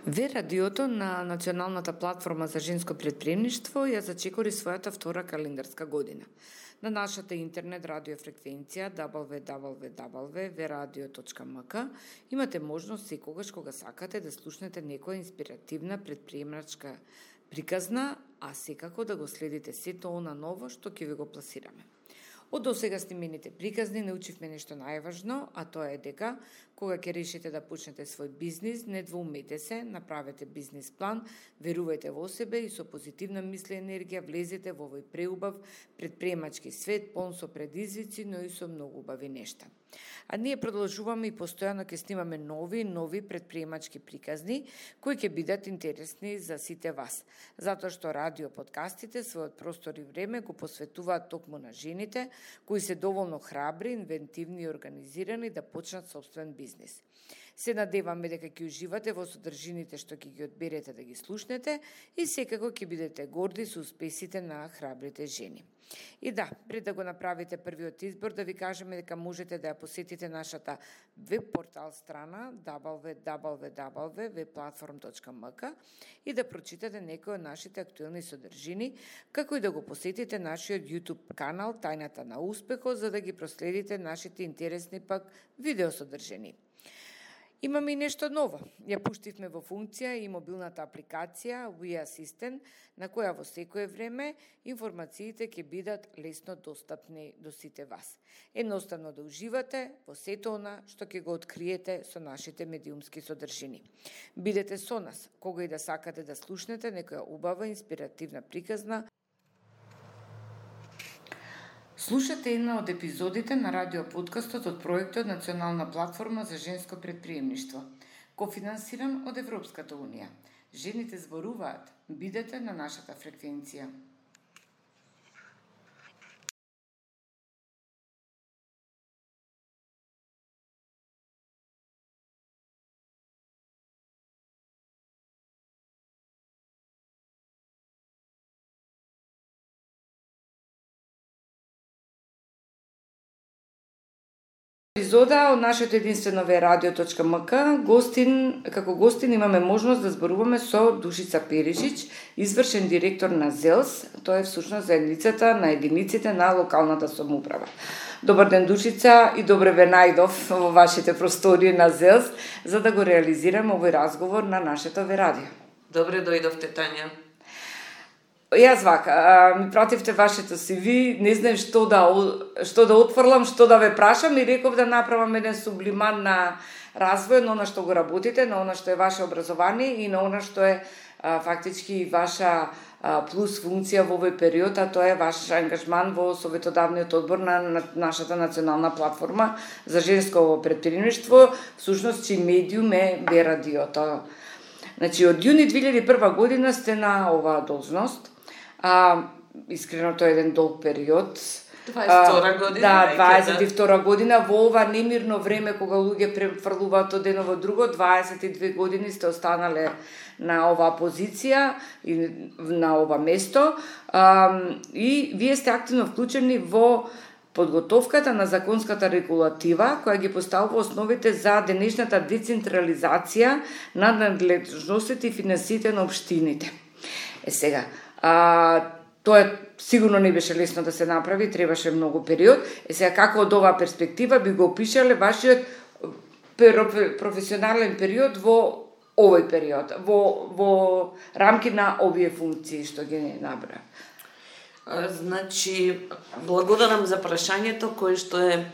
Ве радиото на Националната платформа за женско претприемништво ја зачекори својата втора календарска година. На нашата интернет радиофреквенција www.veradio.mk имате можност секогаш кога сакате да слушнете некоја инспиративна претприемачка приказна, а секако да го следите сето она ново што ќе ви го пласираме. Од досега снимените приказни научивме нешто најважно, а тоа е дека кога ќе решите да почнете свој бизнис, не двоумете се, направете бизнис план, верувајте во себе и со позитивна мисла и енергија влезете во овој преубав претприемачки свет, полн со предизвици, но и со многу убави нешта. А ние продолжуваме и постојано ќе снимаме нови претприемачки приказни кои ќе бидат интересни за сите вас, затоа што радио подкастите својот простор и време го посветуваат токму на жените кои се доволно храбри, инвентивни и организирани да почнат собствен бизнис. Се надеваме дека ќе уживате во содржините што ќе ги одберете да ги слушнете и секако ќе бидете горди со успесите на храбрите жени. И да, пред да го направите првиот избор, да ви кажеме дека можете да ја посетите нашата веб портал страна www.webplatform.mk и да прочитате некои од нашите актуелни содржини, како и да го посетите нашиот YouTube канал Тајната на успехот, за да ги проследите нашите интересни пак видеосодржини. Имаме и нешто ново. Ја пуштивме во функција и мобилната апликација We Assistant, на која во секое време информациите ќе бидат лесно достапни до сите вас. Едноставно да уживате во сето она што ќе го откриете со нашите медиумски содржини. Бидете со нас, кога и да сакате да слушнете некоја убава инспиративна приказна. Слушате една од епизодите на радиоподкастот од проектот Национална платформа за женско претприемништво, кофинансиран од Европската унија. Жените зборуваат, бидете на нашата фреквенција. Епизода од нашето единствено veradio.mk како гостин имаме можност да зборуваме со Душица Перишич, извршен директор на ЗЕЛС, тоа е всушност заедницата на единиците на локалната самоуправа. Добар ден, Душица, и добре ве најдов во вашите простори на ЗЕЛС за да го реализираме овој разговор на нашето Верадио. Добре дојдовте, Тања. Јас вака, ми пративте вашето CV, не знам што да отфрлам, што да ве прашам и реков да направам еден сублимат на развој на она што го работите, на она што е ваше образование и на она што е фактички ваша плюс функција во овој период, а тоа е ваш ангажман во советодавниот одбор на нашата национална платформа за женско претприемништво, всушност чиј медиум е Верадиото. Значи, од јуни 2001 година сте на оваа должност. Искрено тоа е еден долг период. 22 година. Да, 22 година во ова немирно време кога луѓе префрлуваат од едно во друго, 22 години сте останале на оваа позиција и на ова место. И вие сте активно вклучени во подготовката на законската регулатива која ги поставува основите за денешната децентрализација на надлежностите и финансиите на општините. Сега, тоа сигурно не беше лесно да се направи, требаше многу период. Сега, како од оваа перспектива би го опишале вашиот професионален период во овој период, во рамки на овие функции што ги набра? Значи, благодарам за прашањето кое што е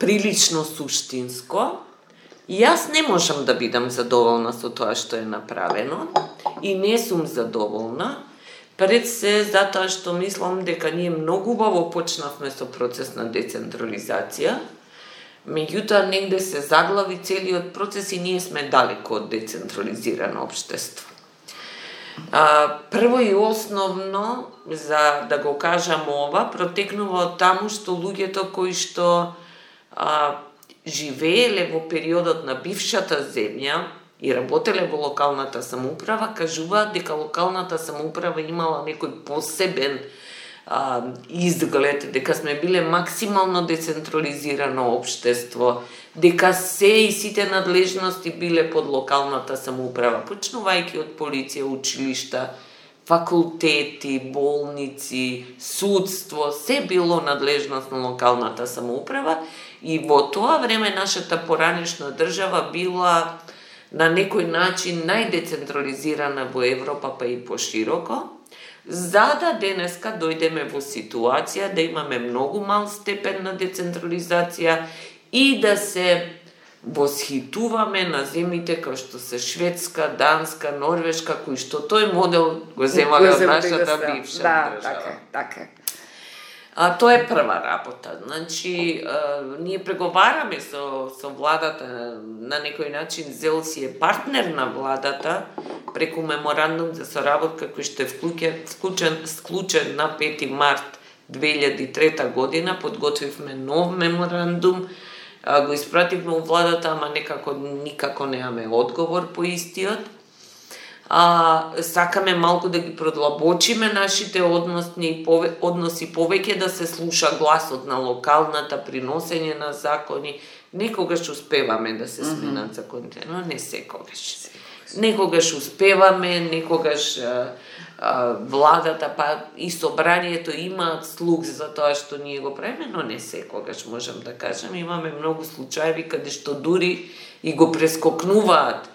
прилично суштинско. Јас не можам да бидам задоволна со тоа што е направено и не сум задоволна, пред се затоа што мислам дека ние многу убаво почнавме со процес на децентрализација, меѓутоа негде се заглави целиот процес и ние сме далеко од децентрализирано општество. Прво и основно, за да го кажам ова, протекнува од таму што луѓето кои што живееле во периодот на бившата земја и работеле во локалната самоуправа, кажуваат дека локалната самоуправа имала некој посебен изглед, дека сме биле максимално децентрализирано општество, дека се и сите надлежности биле под локалната самоуправа, почнувајќи од полиција, училишта, факултети, болници, судство, се било надлежност на локалната самоуправа и во тоа време нашата поранешна држава била на некој начин најдецентрализирана во Европа, па и пошироко, за да денеска дојдеме во ситуација да имаме многу мал степен на децентрализација и да се восхитуваме на земјите како што се Шведска, Данска, Норвешка, кои што тој модел го земале од нашата бивша држава. Така. Тоа е прва работа. Значи, ние преговараме со владата, на некој начин ЗЕЛС е партнер на владата преку меморандум за соработка кој што е склучен на 5 март 2003 година. Подготвивме нов меморандум, го испративме у владата, ама никако немаме одговор по истиот. Сакаме малку да ги продлабочиме нашите односи повеќе да се слуша гласот на локалната, приносење на закони. Некогаш успеваме да се сменат законите, но не секогаш. Некогаш успеваме, некогаш владата па и собранието имаат слух за тоа што ние го правиме, но не секогаш, можам да кажам. Имаме многу случаи каде што дури и го прескокнуваат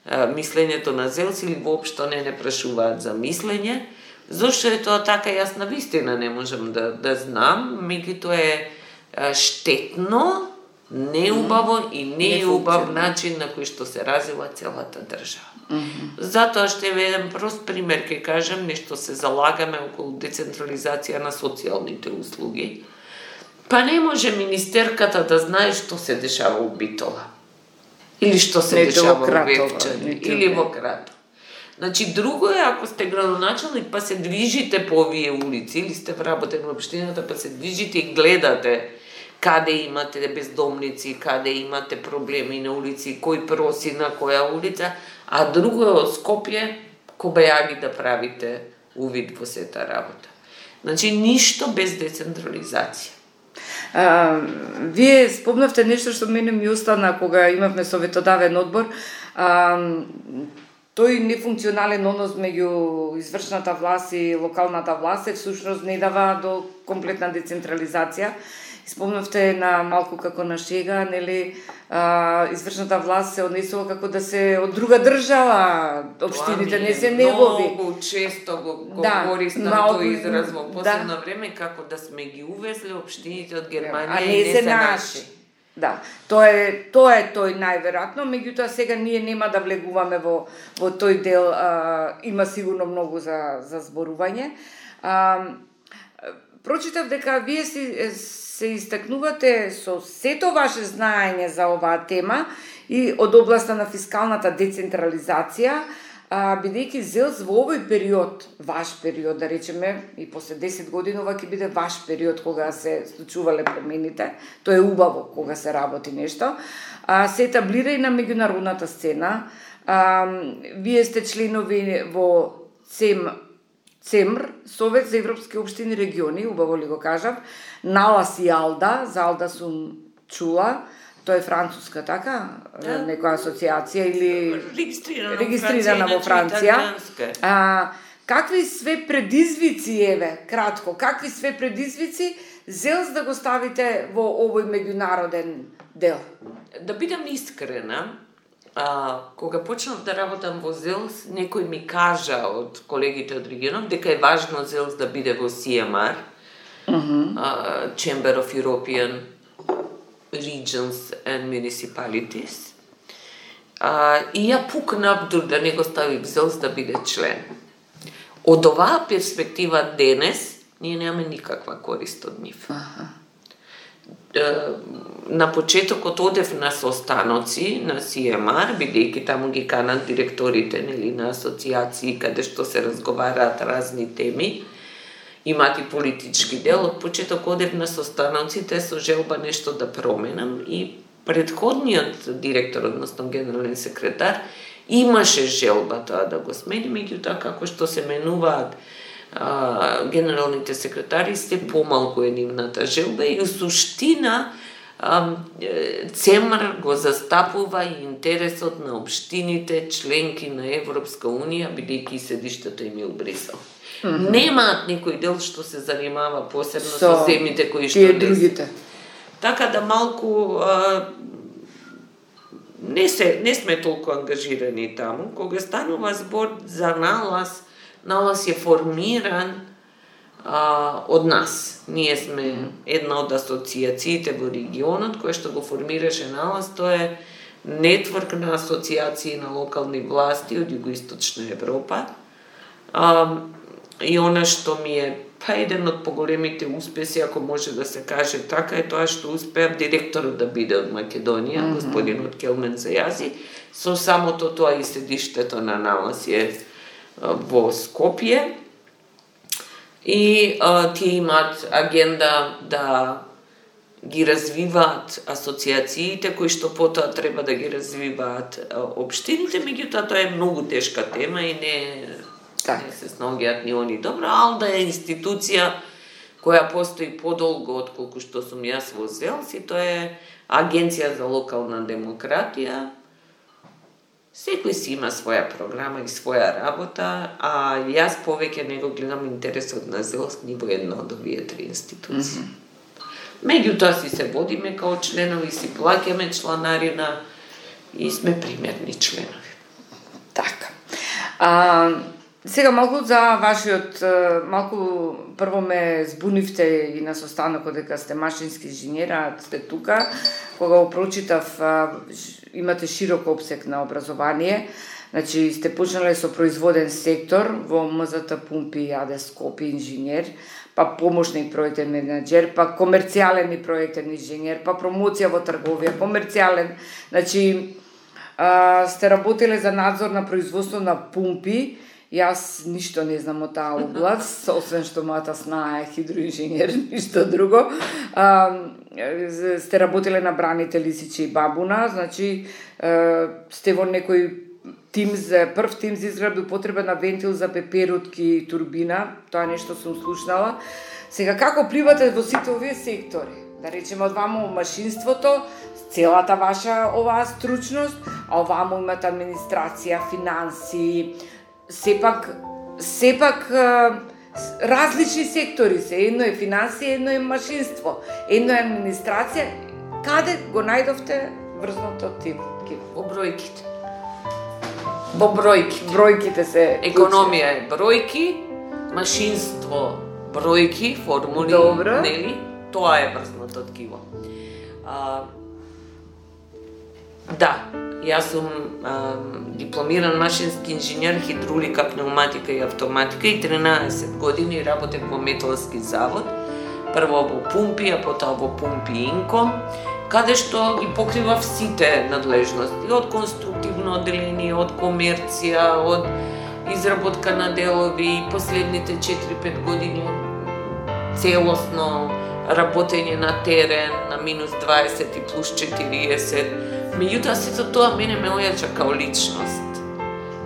мислењето на ЗЕЛС или воопшто не прашуваат за мислење. Зошто е тоа така, јас на вистина не можам да знам, меѓутоа е штетно, неубаво и неубав начин на кој што се развива целата држава. Затоа што е еден прост пример, ќе кажам, нешто се залагаме околу децентрализација на социјалните услуги. Па не може министерката да знае што се дешава у Битола. Или што се дешава во Вевчани, или во Кратово. Значи, друго е ако сте градоначалник па се движите по овие улици, или сте вработен во општината па се движите и гледате каде имате бездомници, каде имате проблеми на улици, кој проси на која улица, а друго е од Скопје кобајаги да правите увид во сета работа. Значи, ништо без децентрализација. Вие спомнавте нешто што мене ми остана кога имавме советодавен одбор. Тој нефункционален однос меѓу извршната власт и локалната власт всушност не дава до комплетна децентрализација. Спомнавте на малку како на шега, нели, извршната власт се однесува како да се од друга држава, општините не се негови. Многу често го користам тој израз во последно време, како да сме ги увезли општините од Германија и не се наши. Да, тоа е тој најверојатно, меѓутоа сега ние нема да влегуваме во тој дел, има сигурно многу за зборување. Прочитав дека вие се истакнувате со сето ваше знаење за оваа тема и од областа на фискалната децентрализација, бидејќи ЗЕЛС во овој период, ваш период, да речеме, и после 10 години ова ќе биде ваш период кога се случувале промените, тоа е убаво кога се работи нешто, се етаблира и на меѓународната сцена. Вие сте членови во ЦЕМР, Совет за европски општини и региони, убаво ли го кажав, НАЛАС и АЛДА, за АЛДА сум чула, тоа е француска, така? Некоја асоциација или регистрирана во Франција. Какви све предизвици, кратко, какви све предизвици ЗЕЛС да го ставите во овој меѓународен дел? Да бидам искрена, кога почнав да работам во ЗЕЛС, некој ми кажа од колегите од регионот дека е важно ЗЕЛС да биде во CMR, Chamber of European Regions and Municipalities. И ја пукнав да не го ставив ЗЕЛС да биде член. Од оваа перспектива денес, ние немаме никаква корист од нив. На почетокот одев на состаноци на CMR, бидејќи таму ги канат директорите, нели, на асоциации каде што се разговараат разни теми, имат и политички дел. Од почеток одев на состаноците со желба нешто да променам и предходниот директор, односно генерален секретар, имаше желба тоа да го смени, меѓутоа како што се менуваат генералните секретари се помалку е нивната желба и у суштина ЦЕМР го застапува и интересот на општините членки на Европска Унија, бидејќи седиштето им е у Брисел. Немаат никој дел што се занимава посебно со земите кои што другите. Така да малку не сме толку ангажирани таму. Кога станува збор за налаз е формиран од нас. Ние сме една од асоциациите во регионот која што го формираше налаз. Тоа е нетворк на асоциации на локални власти од Југоисточна Европа. И она што ми е еден од поголемите успеси, ако може да се каже така, е тоа што успеав директорот да биде од Македонија, господинот Келмен Зајази, со самото тоа и седиштето на налаз е во Скопје. И тие имаат агенда да ги развиваат асоциациите кои што потоа треба да ги развиваат општините, меѓутоа тоа е многу тешка тема и не се снаоѓаат ни они добро. Алда е институција која постои подолго отколку што сум јас во ЗЕЛС и тоа е Агенција за локална демократија. Секој си има своја програма и своја работа, а јас повеќе не го гледам интересот на ЗЕЛС ни во една од овие три институции. Меѓутоа си се водиме као членови, си плаќаме чланарина и сме примерни членови. Така. Сега малку за вашиот, малку прво ме збунивте и на состанокот дека сте машински инженер, а сте тука. Кога го прочитав, имате широк опсек на образование. Значи, сте почнале со производен сектор во МЗТ Пумпи АД Скопје инженер, па помошни проектен менаџер, па комерцијален и проектен инженер, па промоција во трговија, комерцијален. Значи, сте работеле за надзор на производство на пумпи. Јас ништо не знам од таа област, освен што мојата сна е хидроинженер, ништо друго. Сте работеле на Браните, Лисиче и Бабуна, значи сте во некој прв тим за изградба употреба на вентил за пеперутки и турбина, тоа нешто сум слушнала. Сега, како пливате во сите овие сектори? Да речеме, од ваму машинството, целата ваша оваа стручност, а оваму имате администрација, финанси, сепак различни сектори се. Едно е финансија, едно е машинство, едно е администрација. Каде го најдовте врзното тим? Во бројките. Во бројки. Бројките се... Економија е бројки, машинство бројки, формули, нели? Тоа е врзното ткиво. Да, јас сум дипломиран машински инженер, хидравлика, пнеуматика и автоматика и 13 години работев во Металски завод, прво во Пумпи, а потоа во Пумпи Инко, каде што ги покривав сите надлежности, од конструктивно одделение, од комерција, од изработка на делови, и последните 4-5 години целосно работење на терен, на минус 20 и плюс 40. Меѓутоа, сето тоа мене ме ојача као личност,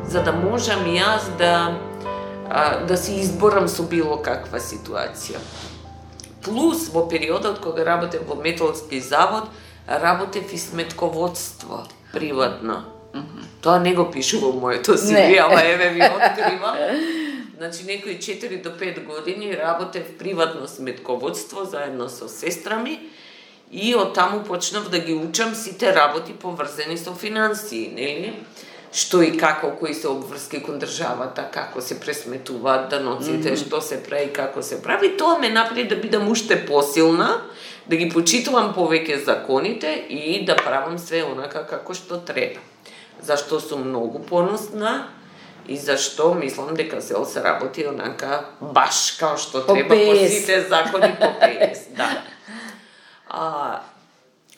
за да можам јас да се изборам со било каква ситуација. Плюс, во периодот кога работев во Металски завод, работев и сметководство, приватно. Тоа не го пишу во моето CV, ама еве ви откривам. Значи, некои 4 до 5 години работев приватно сметководство заедно со сестра ми и од таму почнав да ги учам сите работи поврзани со финансии, нели? Што и како, кои се обврски кон државата, како се пресметуваат даноците, што се прави, како се прави. Тоа ме направи да бидам уште посилна, да ги почитувам повеќе законите и да правам све онака како што треба. Зашто сум многу поносна и зашто мислам дека ЗЕЛС работи онака баш као што треба по сите закони по ПС, да.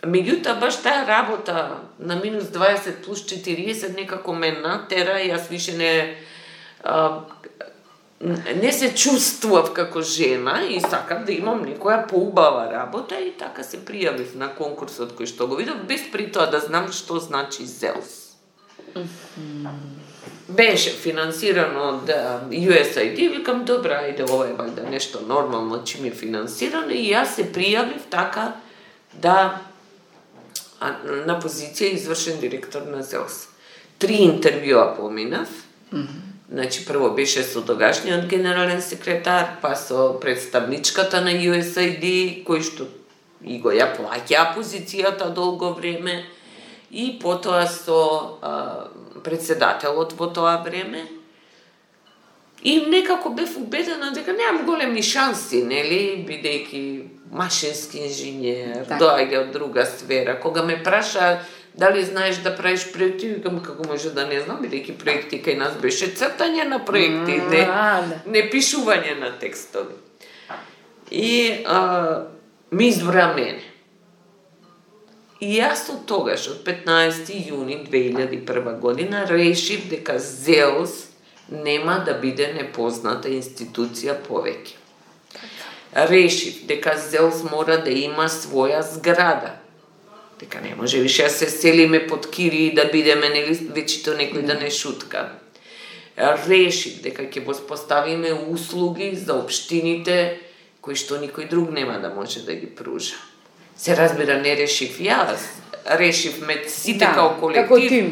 Меѓутоа, баш таа работа на минус 20 плюс 40 некако ме натера, јас више не се чувствував како жена и сакам да имам некоја поубава работа и така се пријавив на конкурсот кој што го видов, без при тоа да знам што значи ЗЕЛС. Беше финансирано од USAID, викам, добра, ајде, ова е валјда нешто нормално, чим е финансирано, и јас се пријавив така да на позиција извршен директор на ЗЕЛС. 3 интервјуа поминав. Значи, прво беше со тогашниот генерален секретар, па со представничката на USAID, кој што и го ја плаќа позицијата долго време, и потоа со председателот во тоа време. И некако бев убедена дека немам големи шанси, нели, бидејќи машински инженер, доаѓа од друга сфера. Кога ме праша дали знаеш да правиш проекти, викам, како може да не знам, бидејќи проекти кај нас беше цртање на проекти, не пишување на текстови. И ми избра мене. И јас од тогаш, од 15 јуни 2001 година, решив дека ЗЕЛС нема да биде непозната институција повеќе. Решив дека ЗЕЛС мора да има своја зграда. Дека не може више да се селиме под кири и да бидеме, нели, вечито некој да не шутка. Решив дека ќе воспоставиме услуги за општините кои што никој друг нема да може да ги пружа. Се разбира, не решив јас, решивме сите као колектив,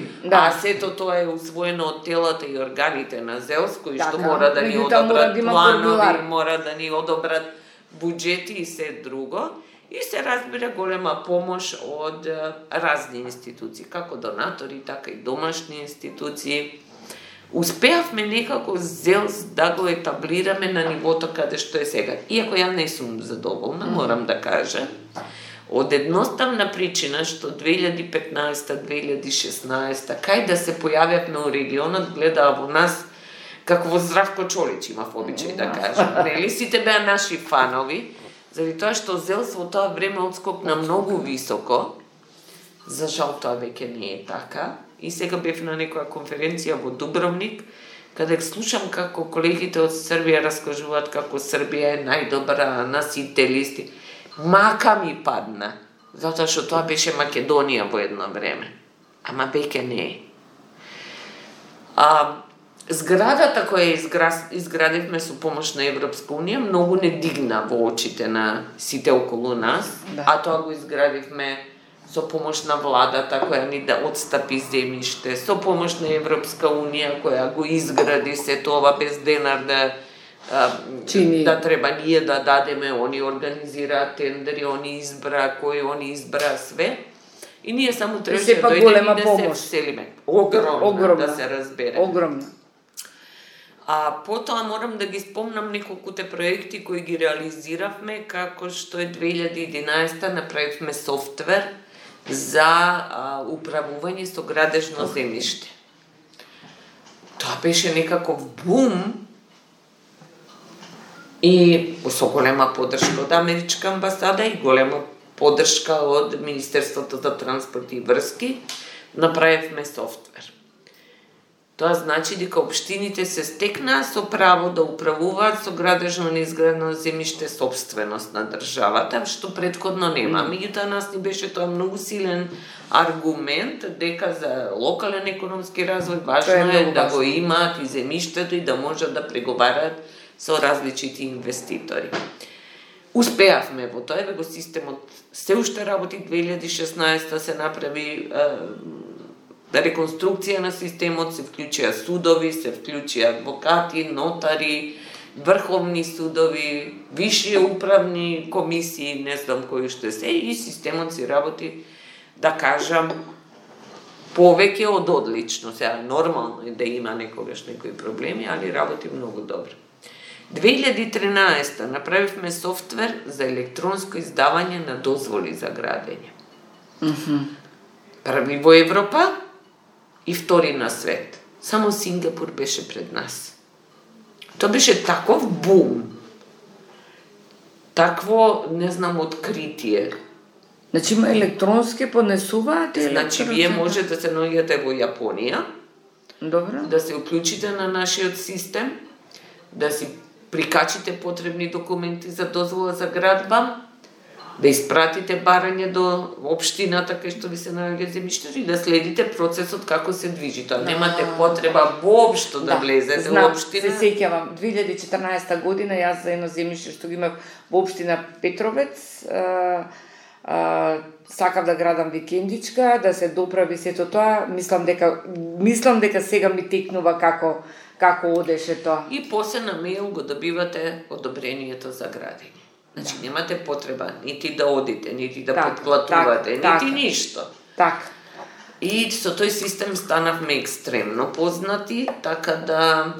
сето тоа е усвоено од телата и органите на ЗЕЛС, кои што мора да ни одобрат планови, мора да ни одобрат буџети и се друго. И се разбира голема помош од разни институции, како донатори, така и домашни институции. Успеавме некако ЗЕЛС да го етаблираме на нивото каде што е сега. Иако ја не сум задоволна, морам да кажам, од едноставна причина што 2015-2016 кај да се појавјавме у регионот, гледаа во нас како во Здравко Чолич, имав обичај да кажам. Нели, сите беа наши фанови, заради тоа што ЗЕЛС во тоа време отскокна многу високо. За жал тоа веќе не е така. И сега бев на некоја конференција во Дубровник, каде слушам како колегите од Србија раскажуваат како Србија е најдобра на сите листи. Мака ми падна, затоа што тоа беше Македонија во едно време. Ама веќе не е. Зградата која изградивме со помош на Европска унија многу не дигна во очите на сите околу нас, а тоа го изградивме со помош на владата која ни да отстапи земјиште, со помош на Европска унија која го изгради се тоа без денар да треба ние да дадеме, они организираат тендери, они избра кој, они избра све. И ние само требаше да дојдеме и да се вселиме. Огромна, да се разбере. Огромна. Потоа морам да ги спомнам неколкуте проекти кои ги реализиравме, како што е 2011 направивме софтвер за управување со градежно земјиште. Тоа беше некаков бум и со голема поддршка од Америчка амбасада и голема поддршка од Министерството за транспорт и врски, направивме софтвер. Тоа значи дека општините се стекнаа со право да управуваат со градежно неизградено земјиште сопственост на државата, што претходно нема. Меѓутоа нас ни беше тоа многу силен аргумент дека за локален економски развој важно е да го имаат и земјиштето и да можат да преговараат со различити инвеститори. Успеавме во тоа, го системот се уште работи. 2016 се направи реконструкција на системот, се вклучија судови, се вклучија адвокати, нотари, врховни судови, висши управни комисии, не знам кои што се, и системот си работи, да кажам, повеќе од одлично. Сега нормално е да има некогаш некои проблеми, али работи многу добро. 2013 направивме софтвер за електронско издавање на дозволи за градење. Први во Европа и втори на свет. Само Сингапур беше пред нас. Тоа беше таков бум. Такво, не знам, откритие. Значи има електронски поднесуваат? Значи вие може да се наоѓате во Јапонија, добро, да се уклучите на нашиот систем, да си прикачите потребни документи за дозвола за градба, да испратите барање до општината кај што ви се наоѓа земјиште и да следите процесот како се движи. Тоа немате потреба воопшто да влезете во општина. Се сеќавам 2014 година јас за едно земјиште што ги имав во општина Петровец, сакав да градам викендичка, да се доправи сето тоа, мислам дека сега ми текнува како одеше тоа. И после на мејл го добивате одобрението за градење. Значи немате потреба нити да одите, нити да подплатувате, нити ништо. Така. И со тој систем станавме екстремно познати, така да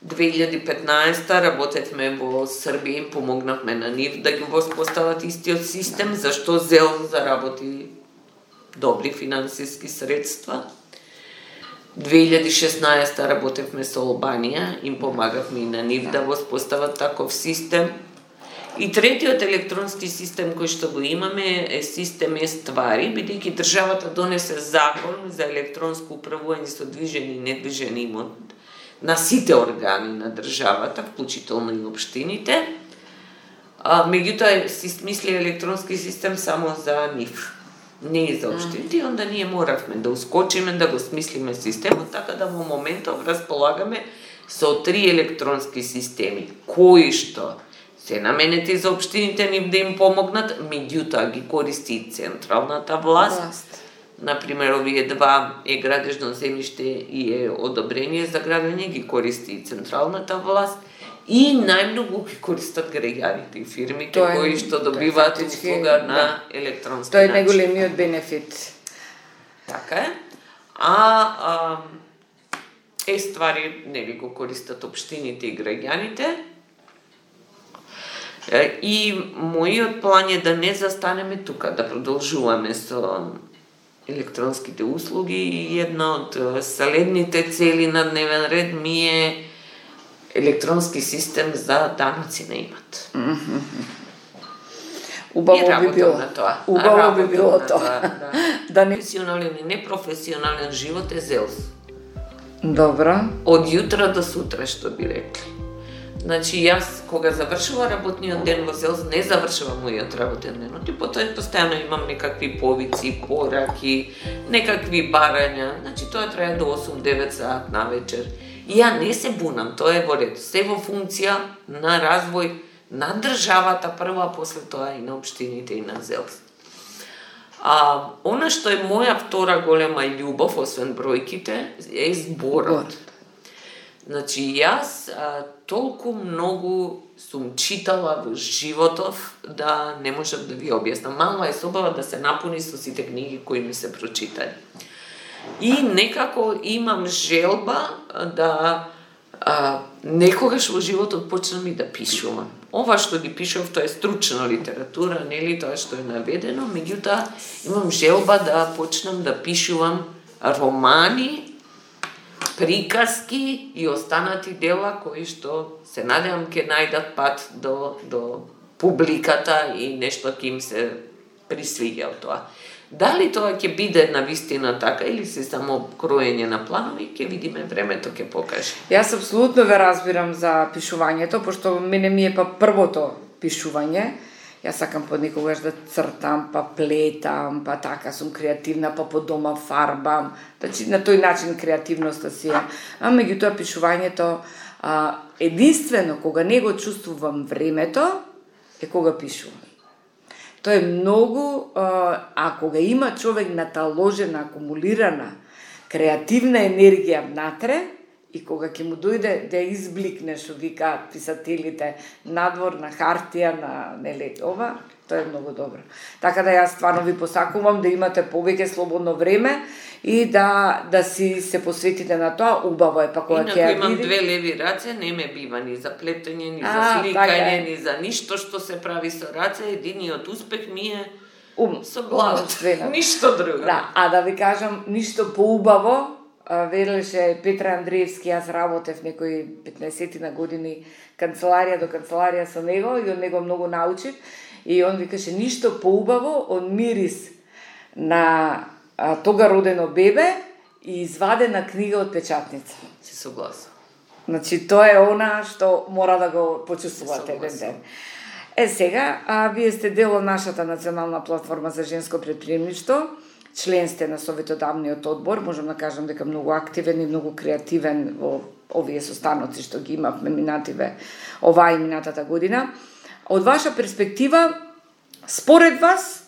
2015 работевме во Србија и помогнавме на нив да ги воспостават истиот систем, зашто ЗЕЛ заработи добри финансиски средства. 2016 работевме со Албанија, им помагавме и на нив да воспостават таков систем. И третиот електронски систем кој што го имаме е систем Ствари, бидејќи државата донесе закон за електронско управување со движен и недвижен имот на сите органи на државата, вклучително и општините. Меѓутоа си смисли електронски систем само за нив, не и за општините, и онда ние моравме да ускочиме, да го смислиме системот, така да во моментов располагаме со 3 електронски системи, кои што се наменети за општините нив да им помогнат, меѓутоа ги користи и централната власт. Например, овие два градежно земјиште и одобрение за градење ги користи и централната власт и најмногу ги користат граѓаните и фирмите кои што добиваат услуга на електронски начин. Тоа е најголемиот бенефит. Така е. Ствари нели го користат општините и граѓаните. И мојот план е да не застанеме тука, да продолжуваме со електронските услуги и една од следните цели на дневен ред ми е електронски систем за даноци на имот. Убаво би било. Убаво би било тоа. Да не професионален и непрофесионален живот е ЗЕЛС. Добро. Од јутра до сутра, што би рекли. Значи, јас, кога завршува работниот ден во ЗЕЛС, не завршува мојот работен ден, и потоа постојано имам некакви повици, пораки, некакви барања, значи тоа трае до 8-9 саат на вечер. И ја не се бунам, тоа е во ред, се во функција на развој на државата прва, а после тоа и на општините и на ЗЕЛС. Она што е моја втора голема љубов, освен бројките, е зборот. Значи, јас толку многу сум читала во животов да не можам да ви објаснам. Мала е собава да се напуни со сите книги кои ми се прочитали. И некако имам желба да некогаш во животот почнам и да пишувам. Ова што ги пишував, тоа е стручна литература, нели тоа што е наведено, меѓутоа имам желба да почнам да пишувам романи, приказки и останати дела кои што се надевам ќе најдат пат до публиката и нешто ќе им се присвиѓа од тоа. Дали тоа ќе биде навистина така или се само кроење на планови, ќе видиме, времето ќе покаже. Јас апсолутно ве разбирам за пишувањето, пошто мене ми е првото пишување. Јас сакам понекогаш да цртам, па плетам, па така сум креативна, па по дома фарбам. Значи на тој начин креативноста си е. Меѓутоа пишувањето единствено кога не го чувствувам времето е кога пишувам. Тоа е многу, кога има човек наталожена, акумулирана креативна енергија внатре, и кога ќе му дојде да избликне, што викаат писателите, надвор на хартија, на нели ова, тоа е многу добро. Така да јас стварно ви посакувам да имате повеќе слободно време и да си се посветите на тоа, убаво е, па кога ќе ја имам две леви раце, не ме бива ни за плетење, ни за сликање, ни за ништо што се прави со раце, единиот успех ми е со главата, ништо друго. Да, да ви кажам, ништо поубаво, велеше Петра Андреевски, јас работев некои 15 на години канцеларија до канцеларија со него и од него многу научив и он викаше ништо поубаво од мирис на тога родено бебе и извадена книга од печатница. Си согласна. Значи тоа е она што мора да го почувствувате еден ден. Сега, вие сте дел од нашата национална платформа за женско предприемништво, член сте на Советодавниот одбор, можам да кажам дека многу активен и многу креативен во овие состаноци што ги имавме оваа и минатата година. Од ваша перспектива, според вас,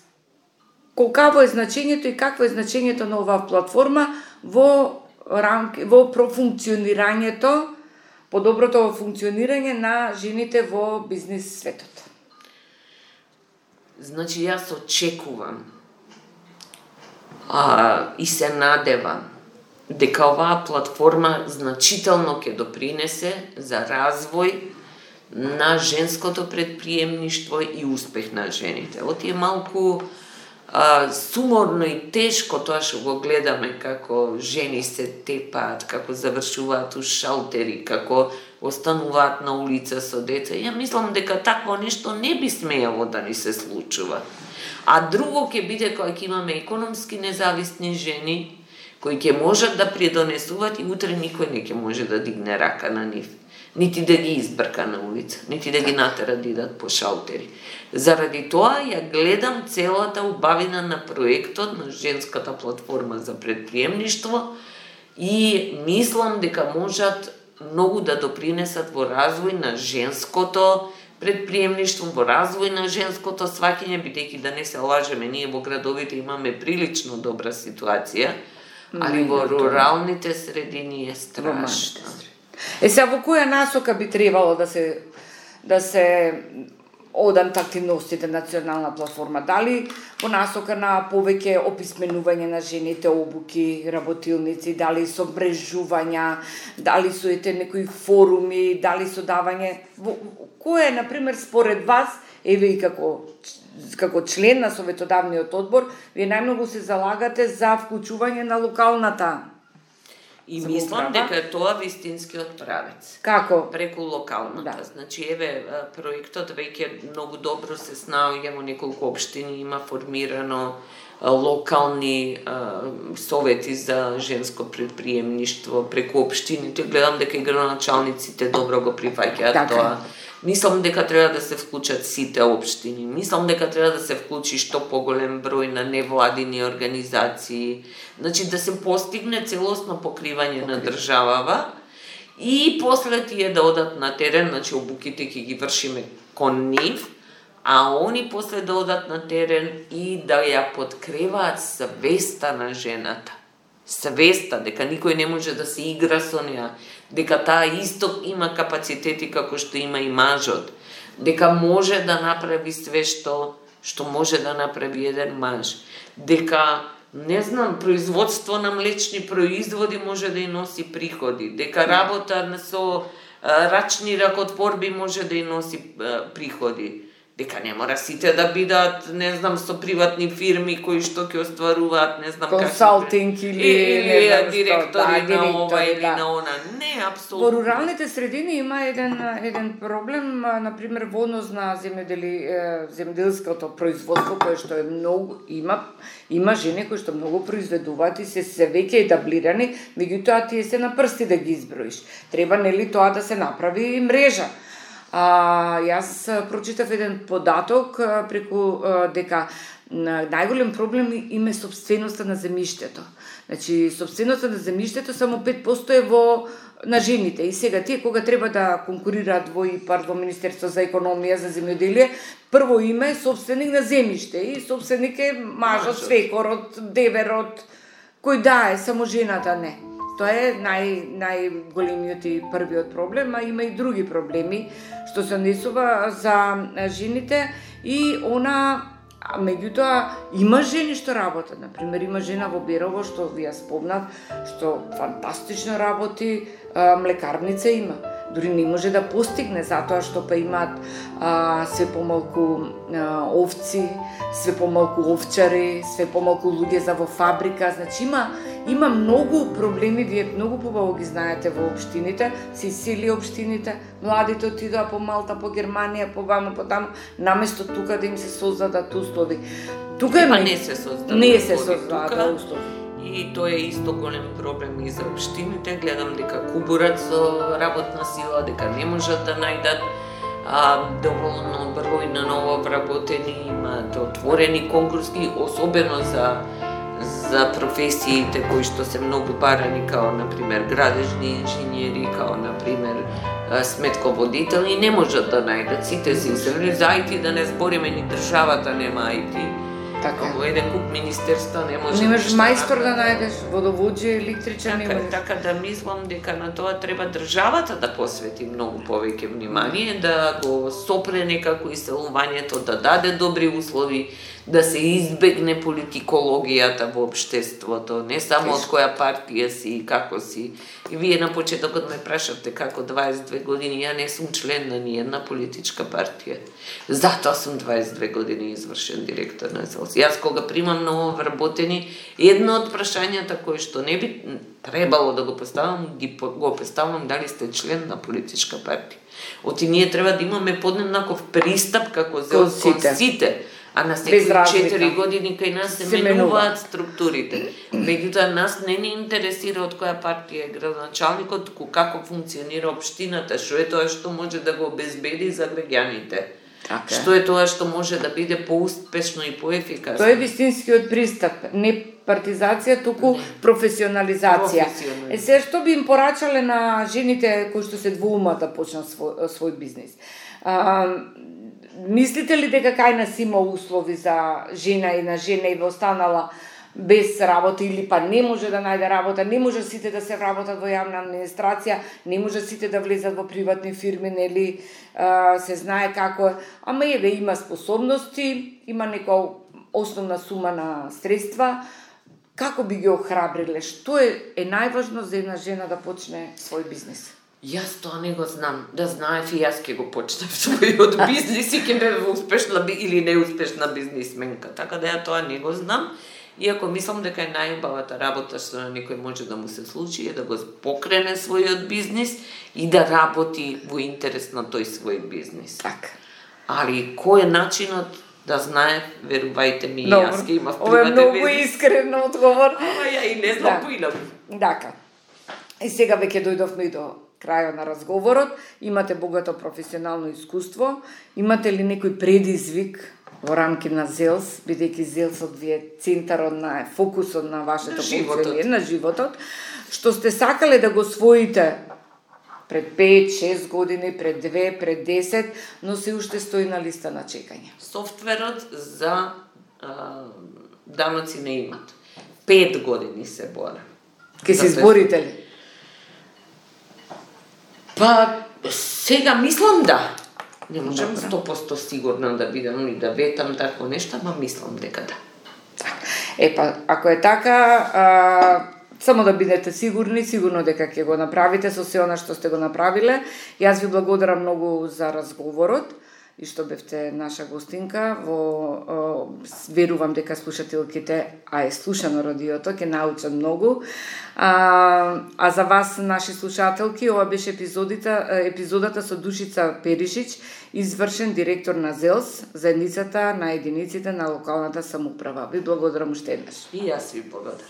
колкаво е значењето и какво е значењето на оваа платформа во профункционирањето, подоброто функционирање на жените во бизнис светот? Значи, јас очекувам и се надевам дека оваа платформа значително ќе допринесе за развој на женското предприемништво и успех на жените. Оти е малку суморно и тешко тоа што го гледаме како жени се тепаат, како завршуваат у шалтери, како остануваат на улица со деца. Ја мислам дека такво нешто не би смеело да ни се случува. А друго ќе биде кога ќе имаме економски независни жени, кои ќе можат да придонесуваат и утре никој не ќе може да дигне рака на нив. Нити да ги избрка на улица, нити да ги натера да идат по шалтери. Заради тоа ја гледам целата убавина на проектот на женската платформа за предприемништво и мислам дека можат многу да допринесат во развој на женското предприемништво, во развој на женското сваќање, бидејќи да не се лажеме, ние во градовите имаме прилично добра ситуација, али во руралните средини е страшно. Сега во која насока би требало да се одат активностите на национална платформа? Дали по насока на повеќе описменување на жените, обуки, работилници, дали со мрежувања, дали со некои форуми, дали со давање? Кој е, например, според вас, еве и како член на Советодавниот одбор, вие најмногу се залагате за вклучување на локалната? И мислам дека е тоа вистинскиот правец. Како? Преку локалната. Да. Значи, еве, проектот веќе многу добро се снаоѓа во неколку општини, има формирано локални совети за женско предприемништво преку општините. Гледам дека и градоначалниците добро го прифаќаат тоа. Мислам дека треба да се вклучат сите општини. Мислам дека треба да се вклучи што поголем број на невладини организации. Значи да се постигне целосно покривање на државава и после тие да одат на терен, значи обуките ќе ги вршиме кон нив, а они после да одат на терен и да ја подкреваат свеста на жената. Свеста дека никој не може да се игра со неа, дека таа исто има капацитети како што има и мажот, дека може да направи све што може да направи еден маж, дека не знам, производство на млечни производи може да и носи приходи, дека работа со рачни ракотворби може да и носи приходи, дека не мора сите да бидат, не знам, со приватни фирми кои што ќе остваруваат, не знам консалтинг или директори на ова или на она. Не, апсолутно. Во руралните средини има еден проблем, например, во однос на земјоделското производство, кое што е многу има жени кои што многу произведуваат и се веќе етаблирани, меѓутоа тие се на прсти да ги изброиш. Треба нели тоа да се направи мрежа. Јас прочитав еден податок преку дека најголем проблем им е собственоста на земјиштето. Значи, собственоста на земјиштето само 5% е на жените. И сега тие кога треба да конкурираат во ИПАР, во Министерство за економија, за земјоделие, прво име е собственик на земјиште и собственик е мажот, свекорот, деверот, кој да е, само жената не. Тоа е најголемиот и првиот проблем, а има и други проблеми што се однесува за жените и меѓутоа има жени што работат. Например, има жена во Берово што ви ја спомнав, што фантастично работи, млекарница има. Дури не може да постигне затоа што па имаат све помалку овци, све помалку овчари, све помалку луѓе за во фабрика. Значи има многу проблеми, вие многу побаво ги знаете во општините, се исели општините, младите отидоа по Малта, по Германија, по ваму, по таму, наместо тука да им се создадат услови. Тука не се создадат. Не се создадат услови. И тоа е исто голем проблем и за општините. Гледам дека кубурат со работна сила, дека не можат да најдат доволно број на нововработени, имаат отворени конкурси, особено за професиите кои што се многу барани, као например градежни инженери, као например сметководители, не можат да најдат. Сите се изелени за IT, да не збориме, ни државата нема IT. Така. Во еден куп министерства не може. Немаш мајстор да најдеш, водовоđe, електричар не можеш. Така да мислам дека на тоа треба државата да посвети многу повеќе внимание, да го сопре некако иселувањето, да даде добри услови, да се избегне политикологијата во општеството, не само од која партија си и како си. И вие на почетокот ме прашавте како 22 години, ја не сум член на ниједна политичка партија. Затоа сум 22 години извршен директор на ЗЕЛС. Јас кога примам нововработени, едно од прашањата кои што не би требало да го поставам, го поставам дали сте член на политичка партија. Оти ние треба да имаме подеднаков пристап како ЗЕЛС кон сите. А на секои 4 години кај нас се менуваат структурите. Меѓутоа нас не ни интересира од која партија е градоначалникот, туку како функционира општината, што е тоа што може да го обезбеди за граѓаните. Така. Што е тоа што може да биде поуспешно и поефикасно. Тоа е вистинскиот пристап, не партизација, туку професионализација. Се што би им порачале на жените кои што се двоумат да почнат свој бизнис? Мислите ли дека кај нас има услови за жена и во останала без работа или па не може да најде работа, не може сите да се вработат во јавна администрација, не може сите да влезат во приватни фирми, нели, се знае како е. Ама еве има способности, има нека основна сума на средства. Како би ги охрабриле? Што е најважно за една жена да почне свој бизнис? Јас тоа не го знам. Да знаев и јас ќе го почнем својот бизнис и ќе бев успешна или неуспешна бизнисменка. Така да ја тоа не го знам. Иако мислам дека е најубавата работа што на некој може да му се случи е да го покрене својот бизнис и да работи во интерес на тој свој бизнис. Така. Али кој е начинот да знае, верувајте ми, јас ќе имав приватен Ова бизнис. е многу искрен одговор. Ама ја и не знам поинак. Така. И сега веќе дојдовме и до крајот на разговорот. Имате богато професионално искуство. Имате ли некој предизвик во рамки на ЗЕЛС, бидејќи ЗЕЛСот ви е центарот на фокусот на вашето функционирање на животот, што сте сакале да го освоите пред 5-6 години, пред 2, пред 10, но се уште стои на листа на чекање? Софтверот за даноци на имат. 5 години се бора. Ке се изборите ли? Па, сега мислам да. Не можам 100% сигурна да бидам и да ветам такво нешто, ама мислам дека да. Епа, ако е така, само да бидете сигурни, сигурно дека ќе го направите со се она што сте го направиле. Јас ви благодарам многу за разговорот и што бевте наша гостинка. Верувам дека слушателките, а е слушано радиото, ќе научат многу. А за вас, наши слушателки, ова беше епизодата со Душица Перишич, извршен директор на ЗЕЛС, заедницата на единиците на локалната самоуправа. Ви благодарам уште еднаш. И јас ви благодарам.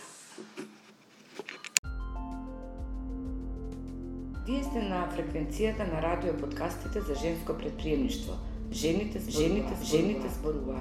Вие сте на фреквенцијата на радио подкастите за женско предприемништво. Жените зборуваат.